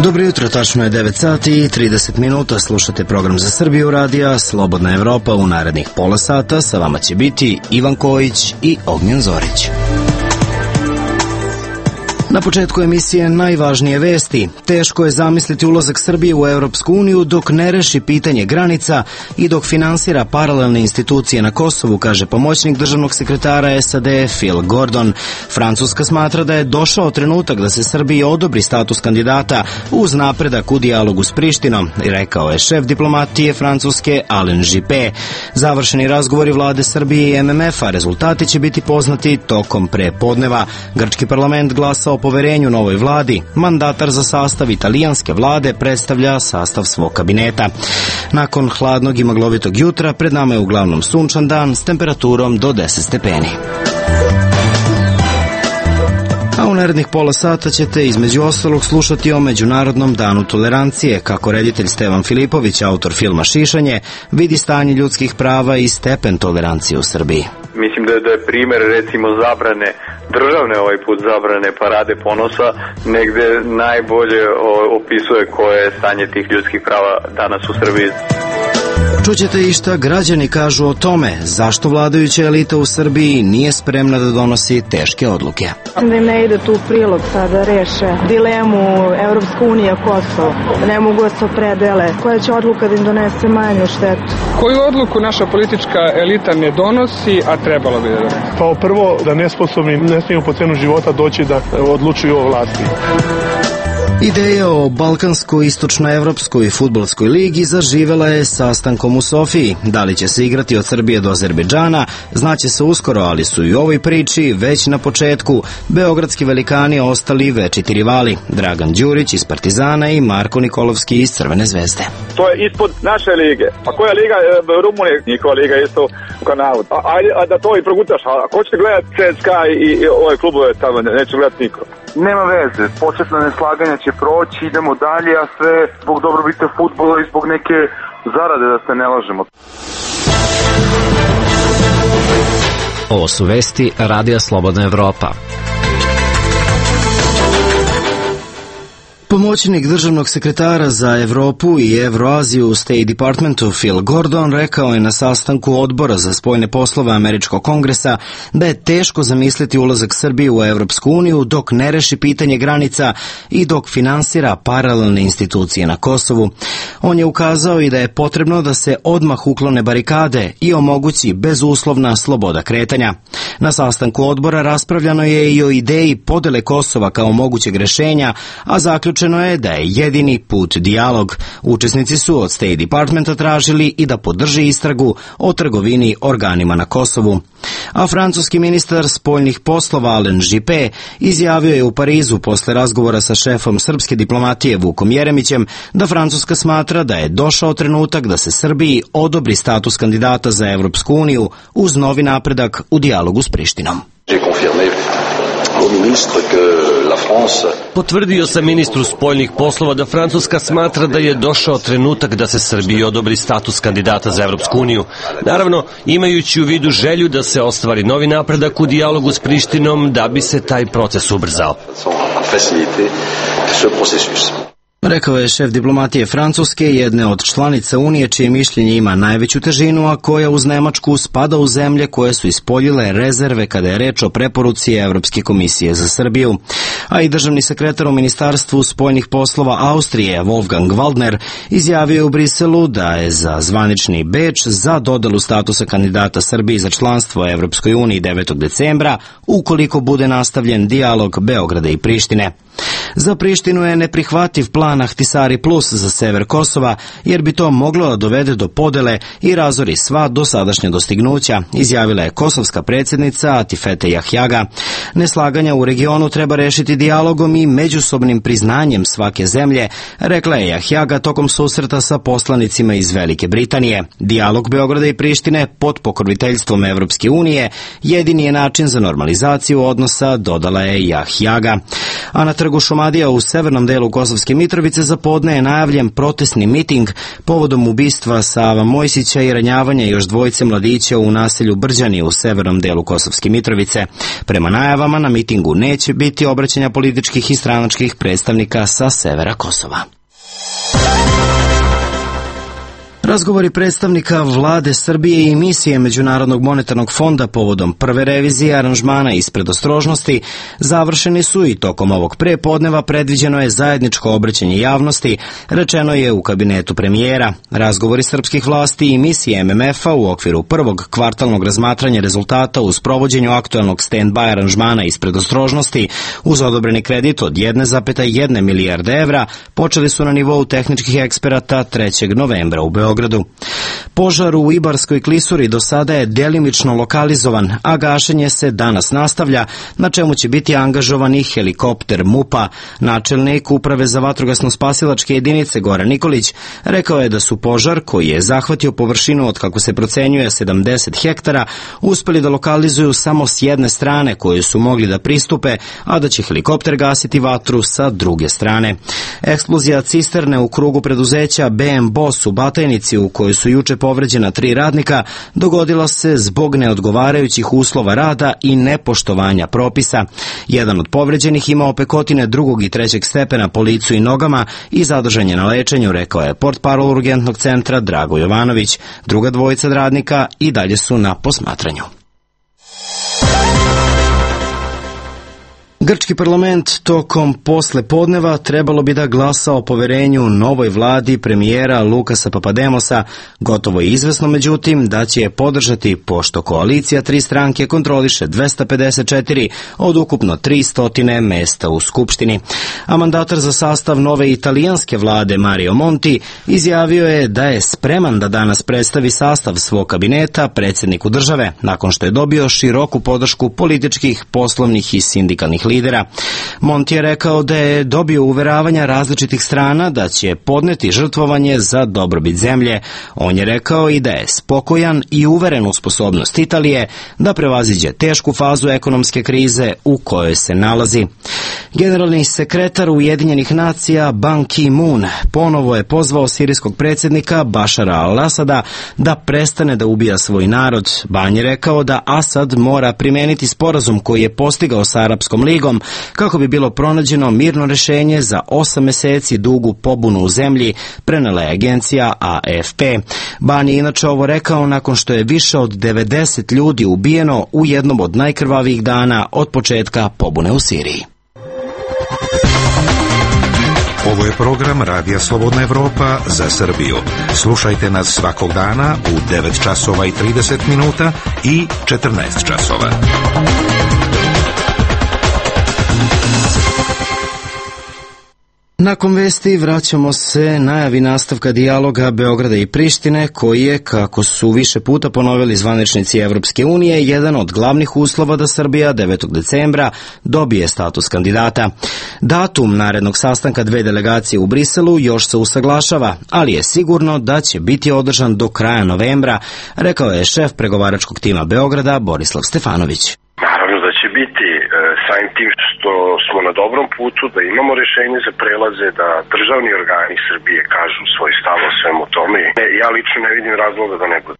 Dobro jutro, tačno je 9 sati i 30 minuta. Slušate program za Srbiju radija Slobodna Evropa. U narednih pola sata sa vama će biti Ivan Kojić i Ognjen Zorić. Na početku emisije najvažnije vesti. Teško je zamisliti ulazak Srbije u Evropsku uniju dok ne reši pitanje granica i dok finansira paralelne institucije na Kosovu, kaže pomoćnik državnog sekretara SAD Phil Gordon. Francuska smatra da je došao trenutak da se Srbiji odobri status kandidata uz napredak u dijalogu s Prištinom, rekao je šef diplomatije Francuske Alain Juppé. Završeni razgovori vlade Srbije i MMF-a, rezultati će biti poznati tokom prepodneva. Grčki parlament glasao poverenju novoj vladi. Mandatar za sastav italijanske vlade predstavlja sastav svog kabineta. Nakon hladnog i maglovitog jutra pred nama je uglavnom sunčan dan s temperaturom do 10 stepeni. A u narednih pola sata ćete između ostalog slušati o Međunarodnom danu tolerancije, kako reditelj Stevan Filipović, autor filma Šišanje, vidi stanje ljudskih prava i stepen tolerancije u Srbiji. Mislim da je primer recimo zabrane, državne ovaj put zabrane parade ponosa, negde najbolje opisuje koje je stanje tih ljudskih prava danas u Srbiji. Čućete i šta građani kažu o tome, zašto vladajuća elita u Srbiji nije spremna da donosi teške odluke. Da im ne ide tu u prilog sada reše dilemu Evropska unija Kosovo, ne mogu da se opredele, koja će odluka da im donese manju štetu. Koju odluku naša politička elita ne donosi, a trebalo bi da donese? Pa prvo da nesposobni ne smiju po cenu života doći da odlučuju o vlasti. Ideja o Balkansko-istočnoevropskoj fudbalskoj ligi zaživela je sastankom u Sofiji. Da li će se igrati od Srbije do Azerbejdžana, znaće se uskoro, ali su i u ovoj priči već na početku beogradski velikani ostali večiti rivali. Dragan Đurić iz Partizana i Marko Nikolovski iz Crvene zvezde. To je ispod naše lige. Pa koja liga? Rumunije, njihova liga isto u kanalu. A da to i progutaš, a ko će gledati CSKA i ove klubove tamo, neće gledati niko. Nema veze, početna neslaganja će proći, idemo dalje, a sve zbog dobrobita fudbala i zbog neke zarade, da se ne lažemo. Ovo su vesti Radija Slobodna Evropa. Pomoćnik državnog sekretara za Evropu i Evroaziju u State Departmentu Phil Gordon rekao je na sastanku odbora za spoljne poslove Američkog kongresa da je teško zamisliti ulazak Srbije u Evropsku uniju dok ne reši pitanje granica i dok finansira paralelne institucije na Kosovu. On je ukazao i da je potrebno da se odmah uklone barikade i omogući bezuslovna sloboda kretanja. Na sastanku odbora raspravljano je i o ideji podele Kosova kao mogućeg rešenja, a zaključeno je da je jedini put dijalog. Učesnici su od State Departmenta tražili i da podrži istragu o trgovini organima na Kosovu. A francuski ministar spoljnih poslova Alain Juppé izjavio je u Parizu posle razgovora sa šefom srpske diplomatije Vukom Jeremićem da Francuska smatra da je došao trenutak da se Srbiji odobri status kandidata za Evropsku uniju uz novi napredak u dijalogu s Prištinom. Potvrdio sam ministru spoljnih poslova da Francuska smatra da je došao trenutak da se Srbiji odobri status kandidata za Evropsku uniju. Naravno, imajući u vidu želju da se ostvari novi napredak u dijalogu s Prištinom da bi se taj proces ubrzao. Rekao je šef diplomatije Francuske, jedne od članica Unije čije mišljenje ima najveću težinu, a koja uz Nemačku spada u zemlje koje su ispoljile rezerve kada je reč o preporuci Evropske komisije za Srbiju. A i državni sekretar u Ministarstvu spoljnih poslova Austrije, Wolfgang Waldner, izjavio u Briselu da je za zvanični Beč za dodelu statusa kandidata Srbiji za članstvo Evropskoj uniji 9. decembra, ukoliko bude nastavljen dijalog Beograda i Prištine. Za Prištinu je neprihvativ plan Ahtisari Plus za sever Kosova, jer bi to moglo da dovede do podele i razori sva dosadašnja dostignuća, izjavila je kosovska predsjednica Atifete Jahjaga. Neslaganja u regionu treba rešiti dijalogom i međusobnim priznanjem svake zemlje, rekla je Jahjaga tokom susreta sa poslanicima iz Velike Britanije. Dijalog Beograda i Prištine pod pokroviteljstvom Evropske unije jedini je način za normalizaciju odnosa, dodala je Jahjaga. A na trgu Šumadija u severnom delu Kosovske Mitrovice za podne je najavljen protestni miting povodom ubistva Sava Mojsića i ranjavanja još dvojice mladića u naselju Brđani u severnom delu Kosovske Mitrovice. Prema najavama na mitingu neće biti obraćanja političkih i stranačkih predstavnika sa severa Kosova. Razgovori predstavnika vlade Srbije i misije Međunarodnog monetarnog fonda povodom prve revizije aranžmana iz predostrožnosti završeni su i tokom ovog prepodneva predviđeno je zajedničko obraćanje javnosti, rečeno je u kabinetu premijera. Razgovori srpskih vlasti i misije MMF-a u okviru prvog kvartalnog razmatranja rezultata u sprovođenju aktuelnog stand-by aranžmana iz predostrožnosti uz odobreni kredit od 1,1 milijarde evra počeli su na nivou tehničkih eksperata 3. novembra u Beogradu. Požar u Ibarskoj klisuri do sada je delimično lokalizovan, a gašenje se danas nastavlja, na čemu će biti angažovan i helikopter MUP-a. Načelnik Uprave za vatrogasno-spasilačke jedinice Goran Nikolić rekao je da su požar, koji je zahvatio površinu od, kako se procenjuje, 70 hektara, uspeli da lokalizuju samo s jedne strane koju su mogli da pristupe, a da će helikopter gasiti vatru sa druge strane. Eksplozija cisterne u krugu preduzeća BM Boss u Batajnici, u kojoj su juče povređena 3 radnika, dogodila se zbog neodgovarajućih uslova rada i nepoštovanja propisa. Jedan od povređenih ima opekotine 2. i 3. stepena po licu i nogama i zadržan je na lečenju, rekao je portparol urgentnog centra Drago Jovanović. Druga dvojica radnika i dalje su na posmatranju. Grčki parlament tokom posle podneva trebalo bi da glasa o poverenju novoj vladi premijera Lukasa Papademosa. Gotovo je izvesno, međutim, da će je podržati, pošto koalicija 3 stranke kontroliše 254 od ukupno 300 mesta u Skupštini. A mandatar za sastav nove italijanske vlade Mario Monti izjavio je da je spreman da danas predstavi sastav svog kabineta predsjedniku države, nakon što je dobio široku podršku političkih, poslovnih i sindikalnih lidera. Monti je rekao da je dobio uveravanja različitih strana da će podneti žrtvovanje za dobrobit zemlje. On je rekao i da je spokojan i uveren u sposobnost Italije da prevaziđe tešku fazu ekonomske krize u kojoj se nalazi. Generalni sekretar Ujedinjenih nacija Ban Ki-moon ponovo je pozvao sirijskog predsjednika Bašara al-Asada da prestane da ubija svoj narod. Ban je rekao da Asad mora primeniti sporazum koji je postigao sa Arapskom ligom kako bi bilo pronađeno mirno rešenje za 8 meseci dugu pobunu u zemlji, prenela je agencija AFP. Ban je inače ovo rekao nakon što je više od 90 ljudi ubijeno u jednom od najkrvavijih dana od početka pobune u Siriji. Ovo je program Radija Slobodna Evropa za Srbiju. Slušajte nas svakog dana u 9 časova i 30 minuta i 14 časova. Nakon vesti vraćamo se najavi nastavka dijaloga Beograda i Prištine, koji je, kako su više puta ponovili zvaničnici Evropske unije, jedan od glavnih uslova da Srbija 9. decembra dobije status kandidata. Datum narednog sastanka 2 delegacije u Briselu još se usaglašava, ali je sigurno da će biti održan do kraja novembra, rekao je šef pregovaračkog tima Beograda Borislav Stefanović. Naravno da će biti, samim tim što smo na dobrom putu, da imamo rešenje za prelaze, da državni organi Srbije kažu svoj stav o svemu tome. Ja lično ne vidim razloga da ne bude.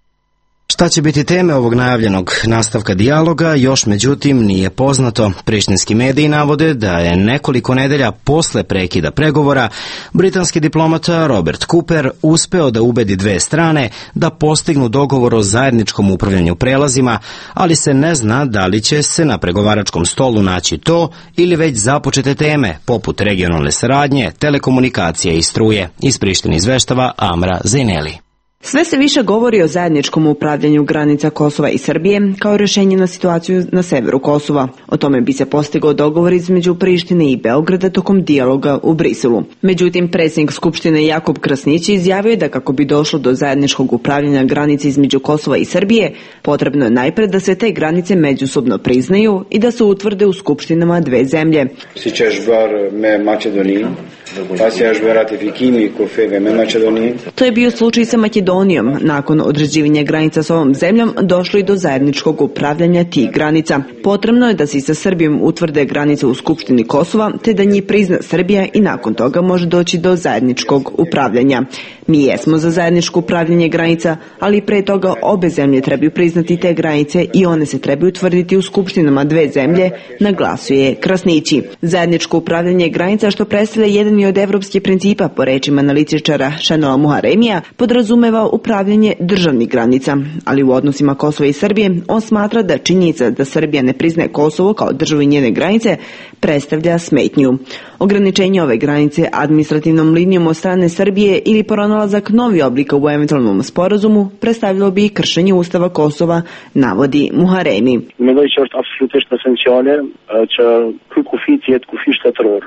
Šta će biti teme ovog najavljenog nastavka dijaloga, još međutim nije poznato. Prištinski mediji navode da je nekoliko nedelja posle prekida pregovora britanski diplomata Robert Cooper uspeo da ubedi 2 strane da postignu dogovor o zajedničkom upravljanju prelazima, ali se ne zna da li će se na pregovaračkom stolu naći to ili već započete teme poput regionalne saradnje, telekomunikacije i struje. Iz Prištine izveštava Amra Zejneli. Sve se više govori o zajedničkom upravljanju granica Kosova i Srbije kao rješenje na situaciju na severu Kosova. O tome bi se postigao dogovor između Prištine i Beograda tokom dijaloga u Briselu. Međutim, predsjednik Skupštine Jakub Krasnić izjavio je da kako bi došlo do zajedničkog upravljanja granice između Kosova i Srbije, potrebno je najpred da se te granice međusobno priznaju i da se utvrde u skupštinama 2 zemlje. To je bio slučaj sa Makedonijom. Nakon određivanja granica s ovom zemljom došlo i do zajedničkog upravljanja tih granica. Potrebno je da se i sa Srbijom utvrde granice u Skupštini Kosova, te da njih prizna Srbija i nakon toga može doći do zajedničkog upravljanja. Mi jesmo za zajedničko upravljanje granica, ali pre toga obe zemlje trebaju priznati te granice i one se trebaju utvrditi u skupštinama dve zemlje, naglasuje Krasnići. Zajedničko upravljanje granica, što predstavlja jedan od evropskih principa, po rečima analitičara Šenoa Muharemija, podrazumeva upravljanje državnih granica, ali u odnosima Kosova i Srbije on smatra da činjenica da Srbija ne priznaje Kosovo kao državu i njene granice predstavlja smetnju. Ograničenje ove granice administrativnom linijom od strane Srbije ili pronalazak novi oblika u eventualnom sporazumu predstavljalo bi kršenje Ustava Kosova, navodi Muharemi.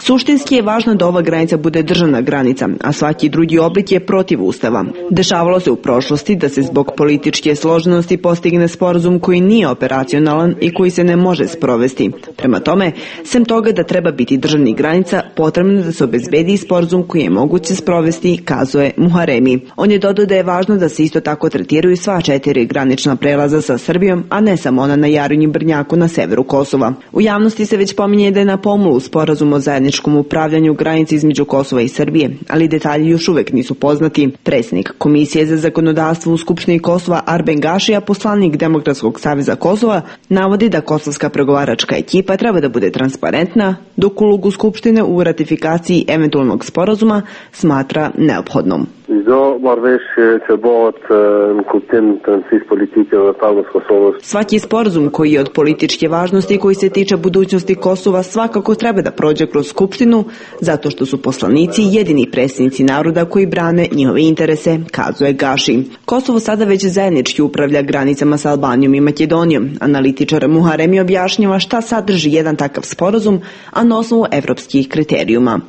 Suštinski je važno da ova granica bude državna granica, a svaki drugi oblik je protiv Ustava. Dešavalo se u prošlosti da se zbog političke složenosti postigne sporazum koji nije operacionalan i koji se ne može sprovesti. Prema tome, sem toga da treba biti državnih granica, potrebno je da se obezbedi sporazum koji je moguće sprovesti, kazuje Muharemi. On je dodao da je važno da se isto tako tretiraju sva 4 granična prelaza sa Srbijom, a ne samo ona na Jarinju i Brnjaku na severu Kosova. U javnosti se već pominje da je na pomolu sporazum o zajedničkom upravljanju granice između Kosova i Srbije, ali detalji još uvek nisu poznati. Predsjednik Komisije za zakonodavstvo u Skupštini Kosova Arben Gašija, poslanik Demokratskog saveza Kosova, navodi da kosovska pregovaračka ekipa treba da bude transparentna, dok ulogu Skupštine u ratifikaciji eventualnog sporazuma smatra neophodnom. Svaki sporazum koji je od političke važnosti i koji se tiče budućnosti Kosova svakako treba da prođe kroz Skupštinu, zato što su poslanici jedini predstavnici naroda koji brane njihove interese, kazuje Gaši. Kosovo sada već zajednički upravlja granicama sa Albanijom i Makedonijom. Analitičar Muharemi objašnjava šta sadrži jedan takav sporazum, a na osnovu evropskih kriterijuma.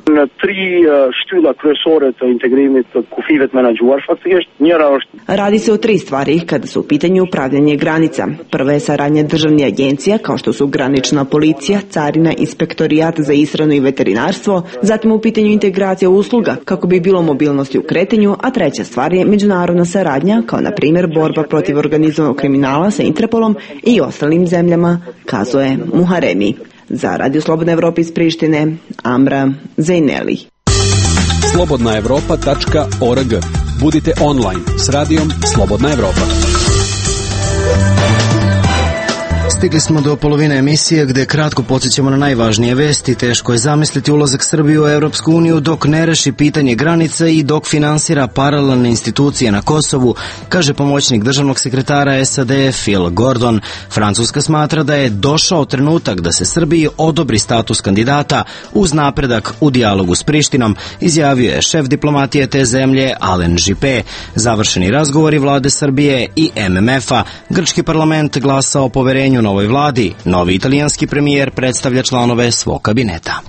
Radi se o 3 stvari kada su u pitanju upravljanje granica. Prva je saradnja državnih agencija kao što su granična policija, carina, inspektorijat za ishranu i veterinarstvo, zatim u pitanju integracija usluga kako bi bilo mobilnosti u kretanju, a treća stvar je međunarodna saradnja kao na primjer borba protiv organizovanog kriminala sa Interpolom i ostalim zemljama, kazuje Muharemi. Za Radio Slobodna Evropa iz Prištine, Amra Zejneli. slobodnaevropa.org. Budite online s radijom Slobodna Evropa. Stigli smo do polovine emisije gde kratko podsjećamo na najvažnije vesti. Teško je zamisliti ulazak Srbije u Evropsku uniju dok ne reši pitanje granica i dok finansira paralelne institucije na Kosovu, kaže pomoćnik državnog sekretara SAD Phil Gordon. Francuska smatra da je došao trenutak da se Srbiji odobri status kandidata uz napredak u dijalogu s Prištinom, izjavio je šef diplomatije te zemlje Alen Juppé. Završeni razgovori vlade Srbije i MMF-a. Grčki parlament glasa o poverenju novoj vladi. Novi italijanski premijer predstavlja članove svog kabineta.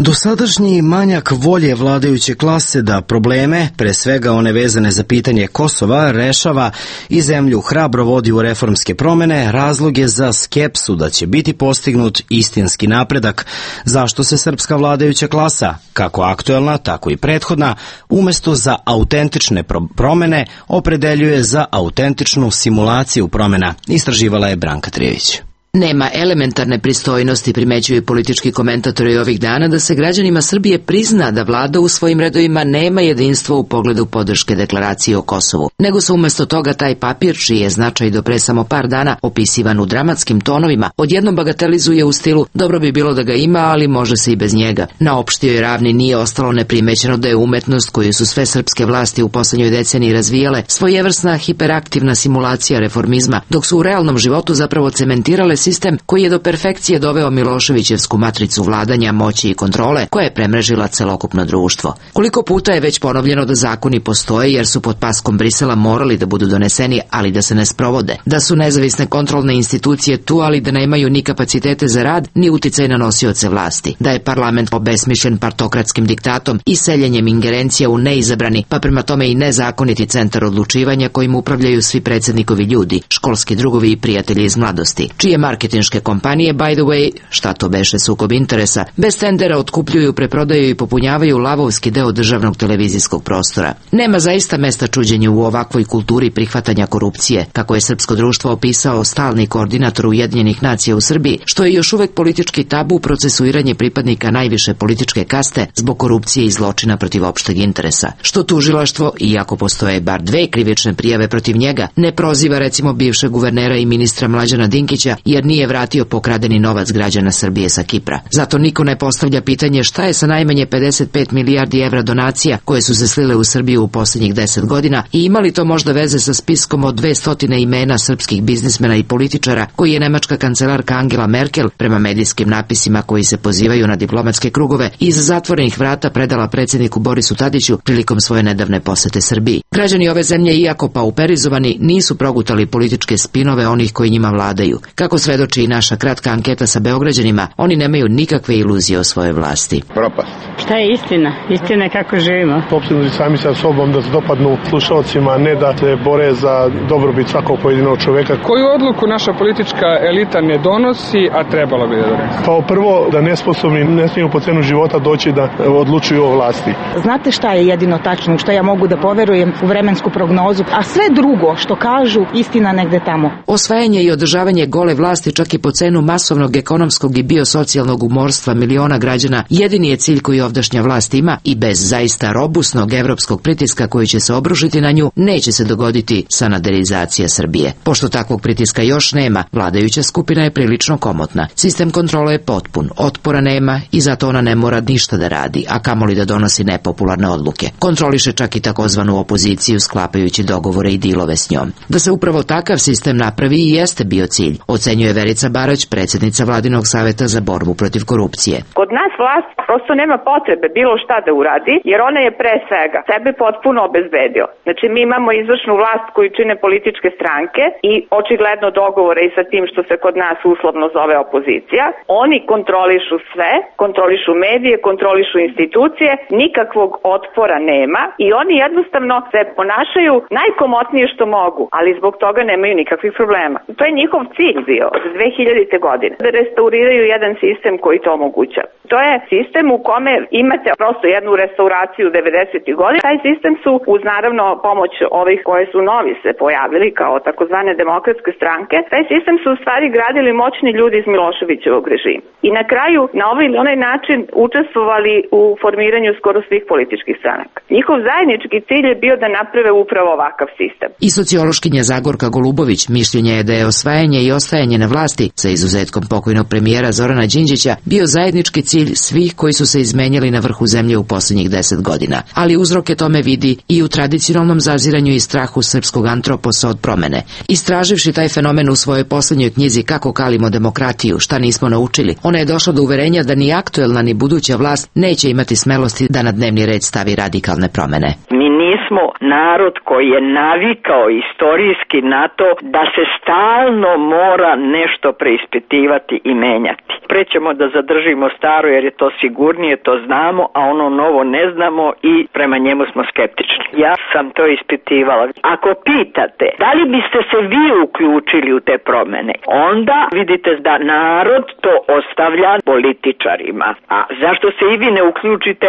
Dosadašnji manjak volje vladajuće klase da probleme, pre svega one vezane za pitanje Kosova, rešava i zemlju hrabro vodi u reformske promene, razlog je za skepsu da će biti postignut istinski napredak. Zašto se srpska vladajuća klasa, kako aktuelna, tako i prethodna, umesto za autentične promene, opredeljuje za autentičnu simulaciju promena, istraživala je Branka Trijević. Nema elementarne pristojnosti, primećuju politički komentatori ovih dana, da se građanima Srbije prizna da vlada u svojim redovima nema jedinstvo u pogledu podrške deklaracije o Kosovu, nego se umesto toga taj papir, čiji je značaj do pre samo par dana opisivan u dramatskim tonovima, odjednom bagatelizuje u stilu dobro bi bilo da ga ima, ali može se i bez njega. Na opštijoj ravni nije ostalo neprimećeno da je umetnost koju su sve srpske vlasti u poslednjoj deceniji razvijale svojevrsna hiperaktivna simulacija reformizma, dok su u realnom životu zapravo cementirale sistem koji je do perfekcije doveo Miloševićevsku matricu vladanja, moći i kontrole koja je premrežila celokupno društvo. Koliko puta je već ponovljeno da zakoni postoje jer su pod paskom Brisela morali da budu doneseni, ali da se ne sprovode, da su nezavisne kontrolne institucije tu, ali da nemaju ni kapacitete za rad, ni uticaj na nosioce vlasti, da je parlament obesmišljen partokratskim diktatom i seljenjem ingerencija u neizabrani, pa prema tome i nezakoniti centar odlučivanja kojim upravljaju svi predsednikovi ljudi, školski drugovi i prijatelji iz mladosti, čije Marketinške kompanije, by the way, šta to beše sukob interesa, bez tendera otkupljuju, preprodaju i popunjavaju lavovski deo državnog televizijskog prostora. Nema zaista mesta čuđenju u ovakvoj kulturi prihvatanja korupcije, kako je srpsko društvo opisao stalni koordinator Ujedinjenih nacija u Srbiji, što je još uvek politički tabu procesuiranje pripadnika najviše političke kaste zbog korupcije i zločina protiv opšteg interesa. Što tužilaštvo, iako postoje bar 2 krivične prijave protiv njega, ne proziva recimo bivšeg guvernera i ministra Mlađana Dinkića jer nije vratio pokradeni novac građana Srbije sa Kipra. Zato niko ne postavlja pitanje šta je sa najmanje 55 milijardi evra donacija koje su se slile u Srbiju u posljednjih 10 godina i ima li to možda veze sa spiskom od 200 imena srpskih biznismena i političara koji je nemačka kancelarka Angela Merkel, prema medijskim napisima koji se pozivaju na diplomatske krugove, iz zatvorenih vrata predala predsjedniku Borisu Tadiću prilikom svoje nedavne posete Srbiji. Građani ove zemlje, iako pauperizovani, nisu progutali političke spinove onih koji njima vladaju. Kako svedoči i naša kratka anketa sa Beograđanima, oni nemaju nikakve iluzije o svojoj vlasti. Propast. Šta je istina? Istina je kako živimo. Opsednuti sami sa sobom da se dopadnu slušalcima, ne da se bore za dobrobit svakog pojedinog čoveka. Koju odluku naša politička elita ne donosi, a trebalo bi da donese? Pa prvo, da nesposobni ne smiju po cenu života doći da odlučuju o vlasti. Znate šta je jedino tačno, što ja mogu da poverujem u vremensku prognozu, a sve drugo što kažu, istina negde tamo. Osvajanje i održavanje gole vlasti čak i po cenu masovnog ekonomskog i biosocijalnog umorstva miliona građana jedini je cilj koji ovdašnja vlast ima i bez zaista robusnog evropskog pritiska koji će se obrušiti na nju neće se dogoditi sanaderizacija Srbije. Pošto takvog pritiska još nema, vladajuća skupina je prilično komotna. Sistem kontrole je potpun, otpora nema i zato ona ne mora ništa da radi, a kamoli da donosi nepopularne odluke. Kontroliše čak i takozvanu opoziciju sklapajući dogovore i dilove s njom. Da se upravo takav sistem napravi i jeste bio cilj, ocenjuje Verica Barać, predsjednica Vladinog saveta za borbu protiv korupcije. Kod nas vlast prosto nema potrebe bilo šta da uradi, jer ona je pre svega sebe potpuno obezbedio. Znači mi imamo izvršnu vlast koju čine političke stranke i očigledno dogovore i sa tim što se kod nas uslovno zove opozicija. Oni kontrolišu sve, kontrolišu medije, kontrolišu institucije, nikakvog otpora nema i oni jednostavno se ponašaju najkomotnije što mogu, ali zbog toga nemaju nikakvih problema. To je njihov cilj bio od 2000. godine, da restauriraju jedan sistem koji to omogućava. To je sistem u kome imate prosto jednu restauraciju 90. godina. Taj sistem su, uz naravno pomoć ovih koje su novi se pojavili kao takozvane demokratske stranke, taj sistem su u stvari gradili moćni ljudi iz Miloševićevog režima. I na kraju, na ovaj ili onaj način, učestvovali u formiranju skoro svih političkih stranaka. Njihov zajednički cilj je bio da naprave upravo ovakav sistem. I sociološkinja Zagorka Golubović mišljenja je da je osvajanje i ostajanje na vlasti, sa izuzetkom pokojnog premijera Zorana Đinđića, bio zajednički cilj svih koji su se izmenjali na vrhu zemlje u posljednjih 10 godina. Ali uzroke tome vidi i u tradicionalnom zaziranju i strahu srpskog antroposa od promene. Istraživši taj fenomen u svojoj posljednjoj knjizi Kako kalimo demokratiju, šta nismo naučili, ona je došla do uverenja da ni aktuelna ni buduća vlast neće imati smelosti da na dnevni red stavi radikalne promene. Mi nismo narod koji je navikao istorijski na to da se stalno mora nešto preispitivati i menjati. Pre ćemo da zadržimo staro jer je to sigurnije, to znamo, a ono novo ne znamo i prema njemu smo skeptični. Ja sam to ispitivala. Ako pitate da li biste se vi uključili u te promene, onda vidite da narod to ostavlja političarima. A zašto se i vi ne uključite?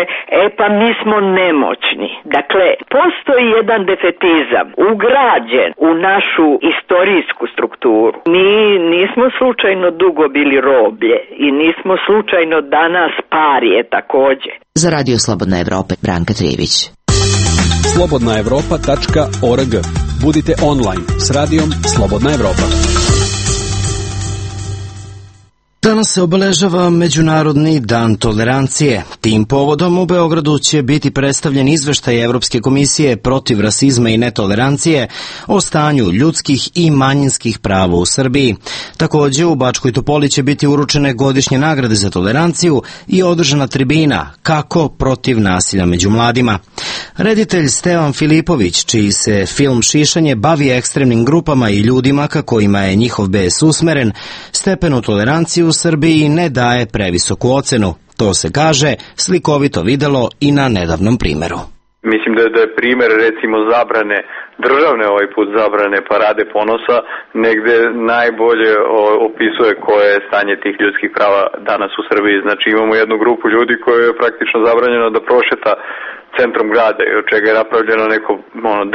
Pa mi smo nemoćni. Dakle, postoji jedan defetizam ugrađen u našu istorijsku strukturu. Mi nismo slučajno dugo bili roblje i nismo slučajno danas parije takođe. Za Radio Slobodna Evropa, Branka Trijević. slobodnaevropa.org. Budite online s radijom Slobodna Evropa. Danas se obeležava Međunarodni dan tolerancije. Tim povodom u Beogradu će biti predstavljen izveštaj Evropske komisije protiv rasizma i netolerancije o stanju ljudskih i manjinskih prava u Srbiji. Također u Bačkoj Topoli će biti uručene godišnje nagrade za toleranciju i održana tribina Kako protiv nasilja među mladima. Reditelj Stevan Filipović, čiji se film Šišanje bavi ekstremnim grupama i ljudima ka kojima je njihov bes usmeren, stepenu tolerancije u Srbiji ne daje previsoku ocenu. To se kaže slikovito videlo i na nedavnom primeru. Mislim da je primer recimo zabrane, državne ovaj put zabrane Parade ponosa, negde najbolje opisuje koje je stanje tih ljudskih prava danas u Srbiji. Znači imamo jednu grupu ljudi koje je praktično zabranjeno da prošeta centrom grada i od čega je napravljeno neko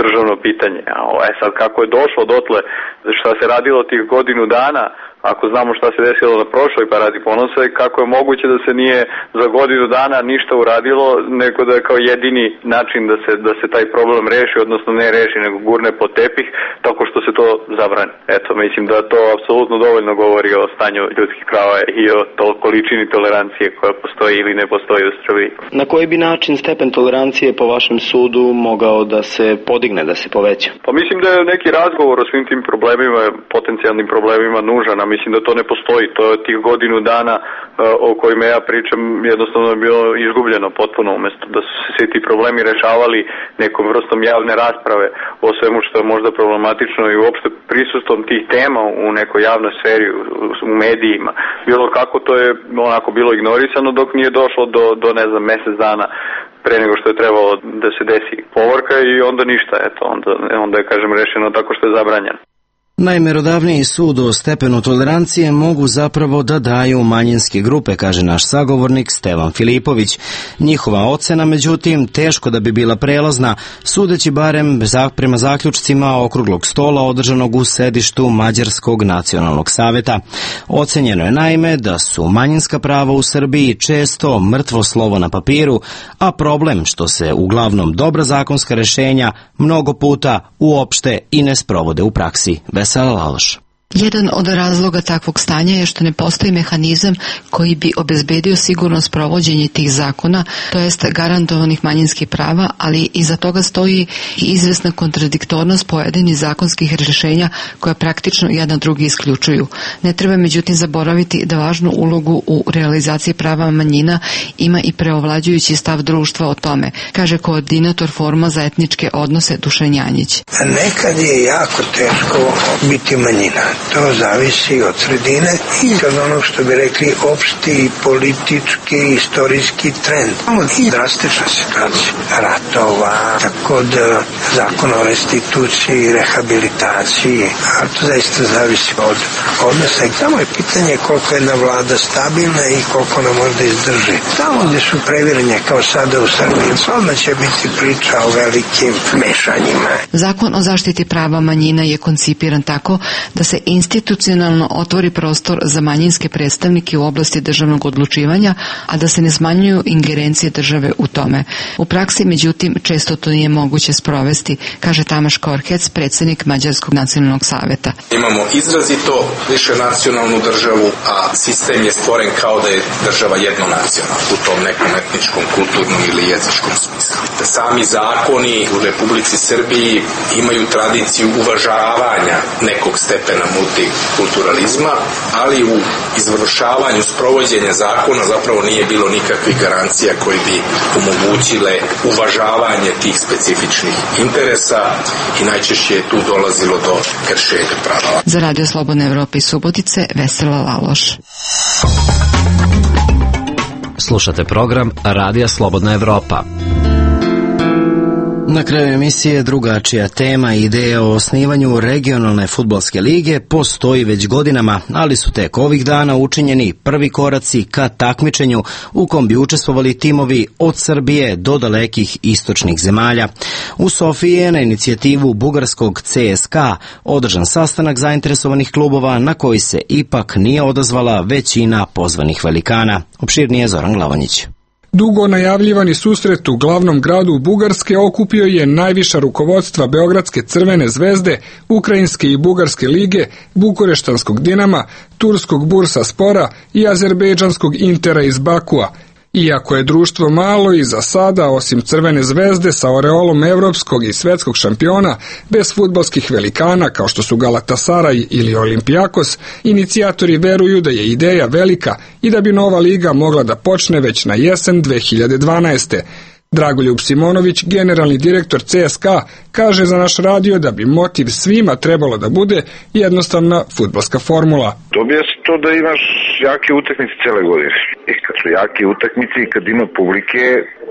državno pitanje. A sad kako je došlo dotle, šta se radilo tih godinu dana, ako znamo šta se desilo na prošloj Paradi ponosa i kako je moguće da se nije za godinu dana ništa uradilo, nego da je kao jedini način da se taj problem reši, odnosno ne reši, nego gurne pod tepih, tako što se to zabrani. Eto, mislim da to apsolutno dovoljno govori o stanju ljudskih prava i o količini tolerancije koja postoji ili ne postoji u Srbiji. Na koji bi način stepen tolerancije po vašem sudu mogao da se podigne, da se poveća? Pa mislim da je neki razgovor o svim tim problemima, potencijalnim problemima nužan, a mislim da to ne postoji. To je tih godinu dana o kojima ja pričam jednostavno je bilo izgubljeno potpuno, umjesto da su se svi ti problemi rešavali nekom vrstom javne rasprave o svemu što je možda problematično i uopšte prisustvom tih tema u nekoj javnoj sferi, u medijima. Bilo kako to je onako bilo ignorisano dok nije došlo do ne znam, mesec dana pre nego što je trebalo da se desi povorka i onda ništa, eto, onda je, kažem, rešeno tako što je zabranjeno. Najmerodavniji sud o stepenu tolerancije mogu zapravo da daju manjinske grupe, kaže naš sagovornik Stevan Filipović. Njihova ocena, međutim, teško da bi bila prelazna, sudeći barem prema zaključcima okruglog stola održanog u sedištu Mađarskog nacionalnog saveta. Ocenjeno je naime da su manjinska prava u Srbiji često mrtvo slovo na papiru, a problem što se uglavnom dobra zakonska rešenja mnogo puta uopšte i ne sprovode u praksi. Vesela Laloš. Jedan od razloga takvog stanja je što ne postoji mehanizam koji bi obezbedio sigurno sprovođenje tih zakona, to jest garantovanih manjinskih prava, ali iza toga stoji i izvesna kontradiktornost pojedinih zakonskih rješenja koja praktično jedna drugi isključuju. Ne treba međutim zaboraviti da važnu ulogu u realizaciji prava manjina ima i preovlađujući stav društva o tome, kaže koordinator Foruma za etničke odnose Dušan Janjić. Nekad je jako teško biti manjina. To zavisi od sredine i od onog što bi rekli opšti politički, istorijski trend. Imamo i drastična situacija ratova, tako da zakon o restituciji, rehabilitaciji, a to zaista zavisi od odnosa. I samo je pitanje koliko je jedna vlada stabilna i koliko ona možda izdrži. Tamo gde su previranje kao sada u Srbiji, odmah će biti priča o velikim mešanjima. Zakon o zaštiti prava manjina je koncipiran tako da se institucionalno otvori prostor za manjinske predstavnike u oblasti državnog odlučivanja, a da se ne smanjuju ingerencije države u tome. U praksi, međutim, često to nije moguće sprovesti, kaže Tamaš Korhec, predsjednik Mađarskog nacionalnog saveta. Imamo izrazito više nacionalnu državu, a sistem je stvoren kao da je država jednonacionalna u tom nekom etničkom, kulturnom ili jezičkom smislu. Sami zakoni u Republici Srbiji imaju tradiciju uvažavanja nekog stepena multikulturalizma, ali u izvršavanju sprovođenja zakona zapravo nije bilo nikakvih garancija koji bi omogućile uvažavanje tih specifičnih interesa i najčešće je tu dolazilo do kršenja prava. Za Radio Slobodne Evrope iz Subotice, Vesela Laloš. Slušate program Radija Slobodna Evropa. Na kraju emisije drugačija tema i ideja o osnivanju regionalne fudbalske lige postoji već godinama, ali su tek ovih dana učinjeni prvi koraci ka takmičenju u kom bi učestvovali timovi od Srbije do dalekih istočnih zemalja. U Sofiji je na inicijativu bugarskog CSKA održan sastanak zainteresovanih klubova na koji se ipak nije odazvala većina pozvanih velikana. Opširnije Zoran Glavonjić. Dugo najavljivani susret u glavnom gradu Bugarske okupio je najviša rukovodstva Beogradske Crvene zvezde, Ukrajinske i Bugarske lige, Bukureštanskog Dinama, Turskog Bursaspora i Azerbejdžanskog Intera iz Bakua. Iako je društvo malo i za sada, osim Crvene zvezde sa oreolom evropskog i svetskog šampiona, bez fudbalskih velikana kao što su Galatasaray ili Olimpijakos, inicijatori veruju da je ideja velika i da bi nova liga mogla da počne već na jesen 2012. Dragoljub Simonović, generalni direktor CSKA, kaže za naš radio da bi motiv svima trebalo da bude jednostavna fudbalska formula. Dobija se to da imaš jake utakmice cele godine. I kad su jake utakmice i kad ima publike,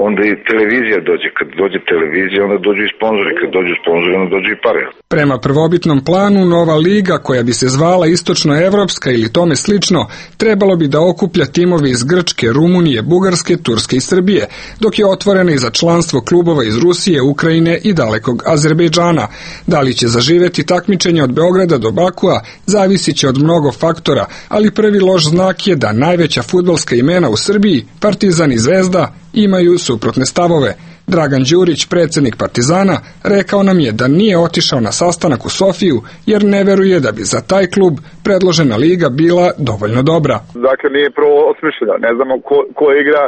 onda i televizija dođe. Kad dođe televizija, onda dođu i sponzori. Kad dođu sponzori, onda dođu i pare. Prema prvobitnom planu, nova liga, koja bi se zvala Istočnoevropska ili tome slično, trebalo bi da okuplja timove iz Grčke, Rumunije, Bugarske, Turske i Srbije, dok je otvorena i za članstvo klubova iz Rusije, Ukrajine i dalekog Azerbejdžana. Da li će zaživeti takmičenje od Beograda do Bakua, zavisiće od mnogo faktora, ali prvi loš znak je da najveća fudbalska imena u Srbiji, Partizan i Zvezda, imaju suprotne stavove. Dragan Đurić, predsjednik Partizana, rekao nam je da nije otišao na sastanak u Sofiju jer ne veruje da bi za taj klub predložena liga bila dovoljno dobra. Dakle, nije prvo osmišljeno. Ne znamo ko igra,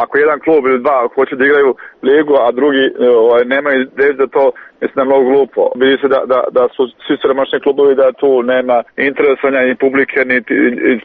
ako jedan klub ili dva hoće da igraju ligu, a drugi nemaju ideju da to, mislim da je mnogo glupo. Vidi se da su svi siromašni klubovi, da tu nema interesovanja ni publike, ni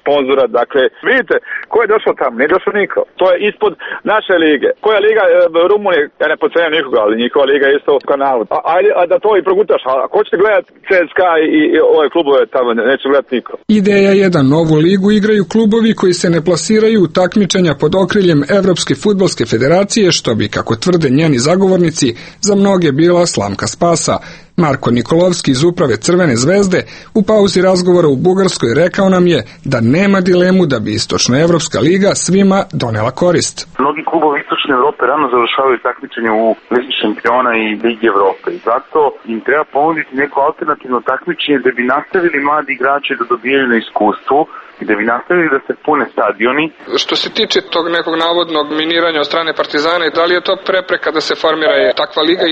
sponzora. Dakle, vidite, ko je došao tamo? Nije došao niko. To je ispod naše lige. Koja liga Rumunije? Ja ne pocenjam nikoga, ali njihova liga je isto u kanalu. Ajde da to i progutaš. A ko ćete gledati CSKA i ove klubove tamo? Neće gledati niko. Ideja je da novu ligu igraju klubovi koji se ne plasiraju u takmičenja pod okriljem Evropske fudbalske federacije, što bi, kako tvrde njeni zagovornici, za mnoge bila slamka spasa. Marko Nikolovski iz uprave Crvene zvezde u pauzi razgovora u Bugarskoj rekao nam je da nema dilemu da bi Istočnoevropska liga svima donela korist. Mnogi klubovi Istočne Evrope rano završavaju takmičenje u Ligi šampiona i Ligi Evrope i zato im treba ponuditi neko alternativno takmičenje da bi nastavili mladi igrači da dobijaju na iskustvu i da bi nastavili da se pune stadioni. Što se tiče tog nekog navodnog miniranja od strane Partizana, da li je to prepreka da se formira takva liga?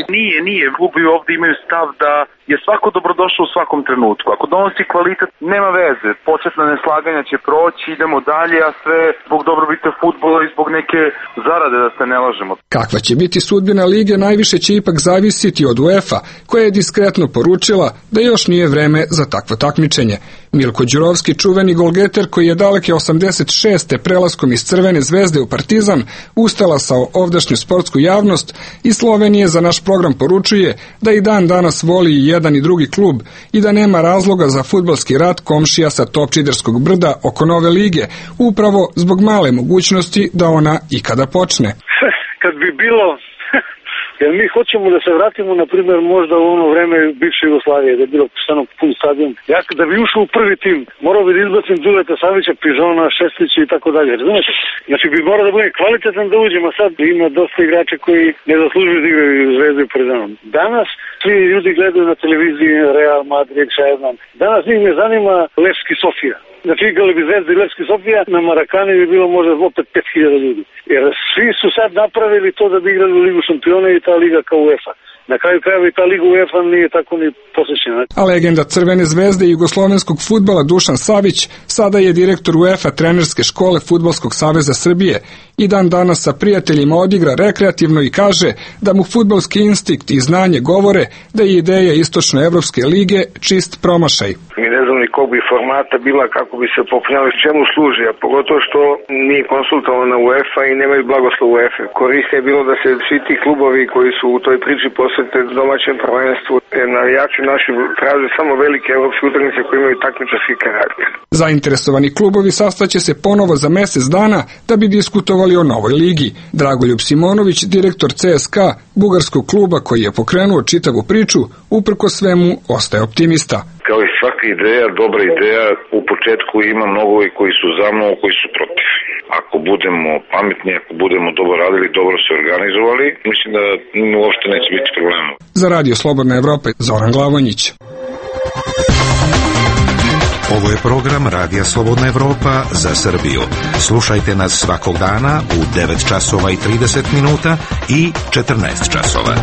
Nije. Klubovi ovdje imaju stav da je svako dobrodošao u svakom trenutku. Ako donosi kvalitet, nema veze. Početna neslaganja će proći, idemo dalje, a sve zbog dobrobita fudbala i zbog neke zarade, da se ne lažemo. Kakva će biti sudbina lige, najviše će ipak zavisiti od UEFA, koja je diskretno poručila da još nije vreme za takvo takmičenje. Milko Đurovski, čuveni golgeter koji je daleke 86. prelaskom iz Crvene zvezde u Partizan ustalasao ovdašnju sportsku javnost, iz Slovenije za naš program poručuje da i dan danas voli i jedan i drugi klub i da nema razloga za fudbalski rat komšija sa Topčiderskog brda oko nove lige, upravo zbog male mogućnosti da ona ikada počne. Kad bi bilo... Jer mi hoćemo da se vratimo, na primjer, možda u ono vreme bivše Jugoslavije, da je bilo stano pun stadion. Ja da bi ušao u prvi tim, morao bi da izbacim Duleta Savića, Pižona, Šestića i tako dalje. Razumete? Znači bi morao da bude kvalitetan da uđemo, sad ima dosta igrača koji ne zaslužuju da igraju Zvezdu i Partizanom. Danas svi ljudi gledaju na televiziji Real Madrid, Šajman. Danas njih ne zanima Levski Sofija. Znači igrali bi Zvezda i Levski Sofija, na Marakani bi bilo možda opet 5000 ljudi. Jer svi su sad napravili to da bi igrali u Ligu šampiona i ta liga kao UEFA. Na kraju krajeva i ta liga UEFA nije tako ni posjećena. A legenda Crvene zvezde i jugoslovenskog fudbala Dušan Savić sada je direktor UEFA trenerske škole Fudbalskog saveza Srbije i dan danas sa prijateljima odigra rekreativno i kaže da mu fudbalski instinkt i znanje govore da je ideja Istočnoevropske lige čist promašaj. Mi ne znam ni kog bi formata bila, kako bi se pokrenuli, čemu služi, a pogotovo što nije konsultovana UEFA i nemaju blagoslov UEFA. Korisno je bilo da se svi ti klubovi koji su u toj priči posvete domaćem prvenstvu, navijači naši traže samo velike evropske utakmice koje imaju takmičarski karakter. Zainteresovani klubovi sastaće se ponovo za mjesec dana da bi diskutovali o novoj ligi. Dragoljub Simonović, direktor CSKA, bugarskog kluba koji je pokrenuo čitavu priču, uprko svemu ostaje optimista. Kao i svaka ideja, dobra ideja, u početku ima mnogo koji su za, mnogo koji su protiv. Ako budemo pametni, ako budemo dobro radili, dobro se organizovali, mislim da uopšte neće biti problema. Za Radio Slobodna Evropa, Zoran Glavonjić. Ovo je program Radija Slobodna Evropa za Srbiju. Slušajte nas svakog dana u 9 časova i 30 minuta i 14 časova.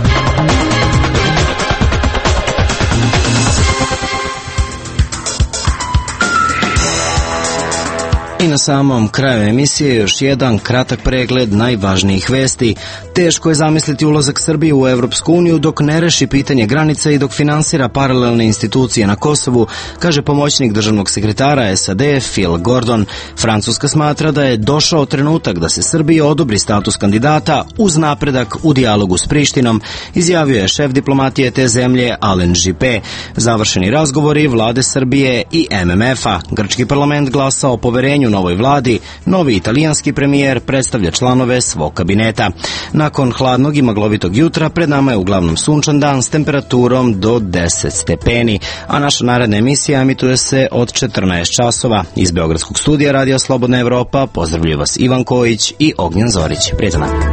I na samom kraju emisije još jedan kratak pregled najvažnijih vesti. Teško je zamisliti ulazak Srbije u Evropsku uniju dok ne reši pitanje granica i dok finansira paralelne institucije na Kosovu, kaže pomoćnik državnog sekretara SAD Phil Gordon. Francuska smatra da je došao trenutak da se Srbiji odobri status kandidata uz napredak u dijalogu s Prištinom, izjavio je šef diplomatije te zemlje Alen Juppé. Završeni razgovori vlade Srbije i MMF-a. Grčki parlament glasa o poverenju novoj vladi, novi italijanski premijer predstavlja članove svog kabineta. Nakon hladnog i maglovitog jutra pred nama je uglavnom sunčan dan s temperaturom do 10 stepeni, a naša naredna emisija emituje se od 14 časova. Iz Beogradskog studija Radija Slobodna Evropa pozdravljaju vas Ivan Kojić i Ognjen Zorić. Prijatno.